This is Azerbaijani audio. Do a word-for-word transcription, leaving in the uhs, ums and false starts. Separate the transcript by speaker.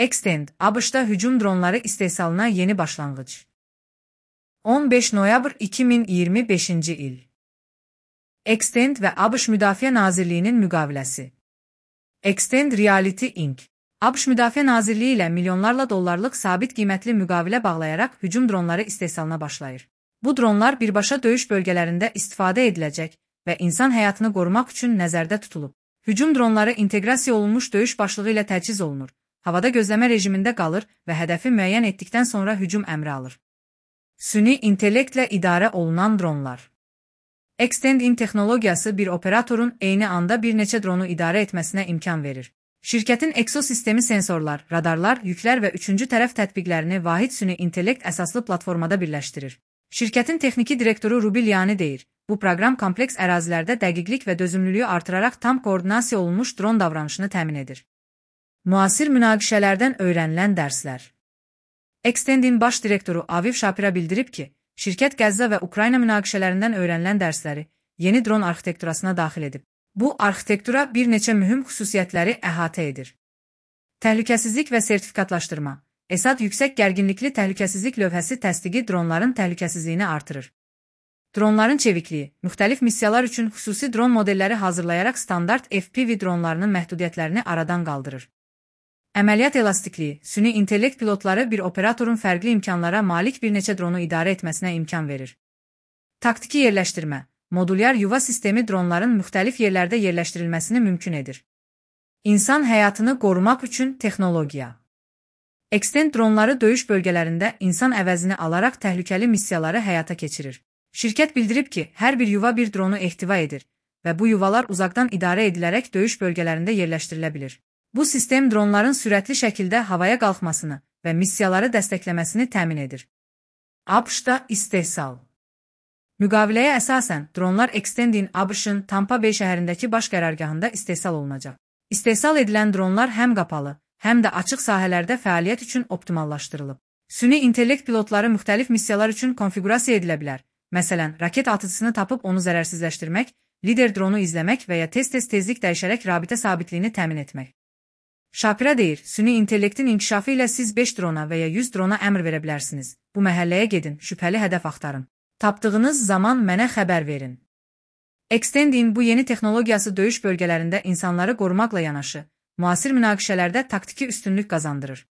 Speaker 1: Extend, ABŞ-da hücum dronları istehsalına yeni başlanğıc. on beş noyabr iki min iyirmi beşinci il. Extend və ABŞ Müdafiə Nazirliyinin müqaviləsi. Extend Reality incorporated. ABŞ Müdafiə Nazirliyi ilə milyonlarla dollarlıq sabit qiymətli müqavilə bağlayaraq hücum dronları istehsalına başlayır. Bu dronlar birbaşa döyüş bölgələrində istifadə ediləcək və insan həyatını qorumaq üçün nəzərdə tutulub. Hücum dronları inteqrasiya olunmuş döyüş başlığı ilə təchiz olunur, havada gözləmə rejimində qalır və hədəfi müəyyən etdikdən sonra hücum əmri alır. Süni intellektlə idarə olunan dronlar. Extend-in texnologiyası bir operatorun eyni anda bir neçə dronu idarə etməsinə imkan verir. Şirkətin ekosistemi sensorlar, radarlar, yüklər və üçüncü tərəf tətbiqlərini vahid süni intellekt əsaslı platformada birləşdirir. Şirkətin texniki direktoru Ruby Liani deyir, bu proqram kompleks ərazilərdə dəqiqlik və dözümlülüyü artıraraq tam koordinasiya olunmuş dron davranışını təmin edir. Müasir münaqişələrdən öyrənilən dərslər. Extend-in baş direktoru Aviv Shapira bildirib ki, şirkət Qəzza və Ukrayna münaqişələrindən öyrənilən dərsləri yeni dron arxitekturasına daxil edib. Bu arxitektura bir neçə mühüm xüsusiyyətləri əhatə edir. Təhlükəsizlik və sertifikatlaşdırma. ESAD yüksək gərginlikli təhlükəsizlik lövhəsi təsdiqi dronların təhlükəsizliyini artırır. Dronların çevikliyi, müxtəlif missiyalar üçün xüsusi dron modelləri hazırlayaraq standart F P V dronlarının məhdudiyyətlərini aradan qaldırır. Əməliyyat elastikliyi, süni intellekt pilotları bir operatorun fərqli imkanlara malik bir neçə dronu idarə etməsinə imkan verir. Taktiki yerləşdirmə, modulyar yuva sistemi dronların müxtəlif yerlərdə yerləşdirilməsini mümkün edir. İnsan həyatını qorumaq üçün texnologiya. Extend dronları döyüş bölgələrində insan əvəzini alaraq təhlükəli missiyaları həyata keçirir. Şirkət bildirib ki, hər bir yuva bir dronu ehtiva edir və bu yuvalar uzaqdan idarə edilərək döyüş bölgələrində yerləşdirilə bilir. Bu sistem dronların sürətli şəkildə havaya qalxmasını və missiyaları dəstəkləməsini təmin edir. ABŞ-da istehsal. Müqaviləyə əsasən, dronlar Extend-in ABŞ-ın Tampa Bay şəhərindəki baş qərargahında istehsal olunacaq. İstehsal edilən dronlar həm qapalı, həm də açıq sahələrdə fəaliyyət üçün optimallaşdırılıb. Süni intellekt pilotları müxtəlif missiyalar üçün konfiqurasiya edilə bilər. Məsələn, raket atıcısını tapıb onu zərərsizləşdirmək, lider dronu izləmək və ya tez-tez tezlik dəyişərək rabitə sabitliyini təmin etmək. Shapira deyir, süni intellektin inkişafı ilə siz beş drona və ya yüz drona əmr verə bilərsiniz. Bu məhəlləyə gedin, şübhəli hədəf axtarın. Tapdığınız zaman mənə xəbər verin. Extend-in bu yeni texnologiyası döyüş bölgələrində insanları qorumaqla yanaşı, müasir münaqişələrdə taktiki üstünlük qazandırır.